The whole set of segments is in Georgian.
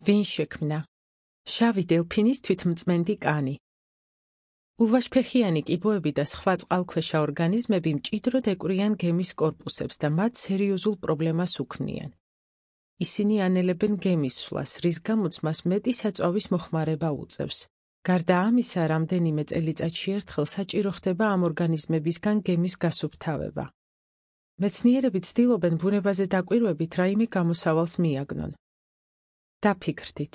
ვინ შექმნა? შავი დელფინის თვითმწმენდი კანი. ულვაშფეხიანი კიბოები და სხვა წყალქვეშა ორგანიზმები მჭიდროდ ეკვრიან გემის კორპუსებს და მათ სერიოზულ პრობლემას უქმნიან. ისინი ანელებენ გემის სვლას, რის გამოც მას მეტი საწვავის მოხმარება უწევს. გარდა ამისა, რამდენიმე წელიწადში ერთხელ საჭირო ხდება ამ ორგანიზმებისგან გემის გასუფთავება. მეცნიერები ცდილობენ ბუნებაზე დაკვირვებით რაიმე გამოსავალს მიაგნონ. დაფიქრდით.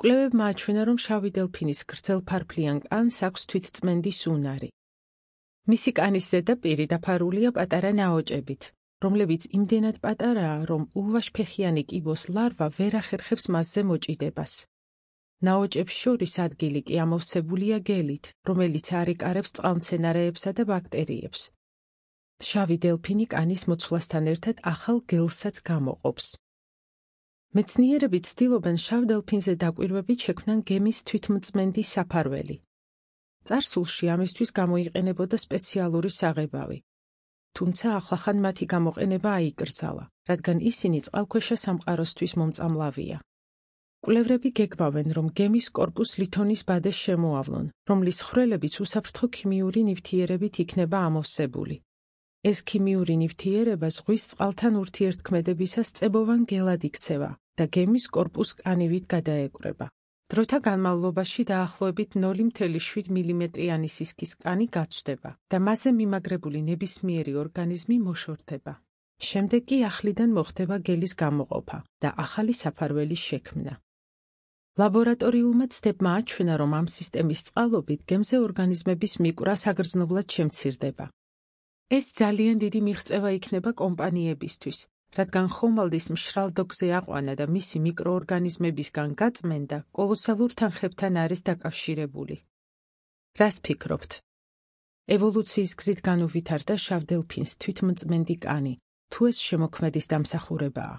კვლევებმა აჩვენა, რომ შავი დელფინის გრძელფარფლიან კანს აქვს თვითწმენდის უნარი. მისი კანის ზედაპირი დაფარულია პატარა ნაოჭებით, რომლებიც იმდენად პატარაა, რომ ულვაშფეხიანი კიბოს ლარვა ვერ ახერხებს მასზე მოჭიდებას. ნაოჭებს შორის ადგილი კი ამოვსებულია გელით, რომელიც არ იკარებს წყალმცენარეებსა და ბაქტერიებს. შავი დელფინი კანის მოცვლასთან ერთად ახალ გელსაც გამოყოფს. მეცნიერები ცდილობენ შავ დელფინზე დაკვირვებით შექმნან გემის თვითმწმენდი საფარველი. წარსულში ამისთვის გამოიყენებოდა სპეციალური საღებავი. თუმცა ახლახან მათი გამოყენება აიკრძალა, რადგან ისინი წყალქვეშა სამყაროსთვის მომწამლავია. კვლევრები გეგმავენ, რომ გემის კორპუსს ლითონის ბადეს შემოავლონ, რომლის ხვრელებიც უსაფრთხო ქიმიური ნივთიერებით იქნება ამოვსებული. ეს ქიმიური ნივთიერება ზღვის წყალთან ურთიერთქმედებისას წებოვან გელად იქცევა და გემის კორპუსს კანივით გადაეკვრება. დროთა განმავლობაში დაახლოებით 0,7 მმ-იანი სისქის კანი გაცვდება და მასზე მიმაგრებული ნებისმიერი ორგანიზმი მოშორდება. შემდეგ კი ახლიდან მოხდება გელის გამოყოფა და ახალი საფარველის შექმნა. ლაბორატორიულმა ცდებმა აჩვენა, რომ ამ სისტემის წყალობით გემზე ორგანიზმების მიკვრა საგრძნობლად შემცირდება. ეს ძალიან დიდი მიღწევა იქნება კომპანიებისთვის, რადგან ხომალდის მშრალ დოკზე აყვანა და მისი მიკროორგანიზმებისგან გაწმენდა კოლოსალურ თანხებთან არის დაკავშირებული. რას ფიქრობთ? ევოლუციის გზით განუვითარდა შავ დელფინს თვითმწმენდი კანი, თუ ეს შემოქმედის დამსახურებაა?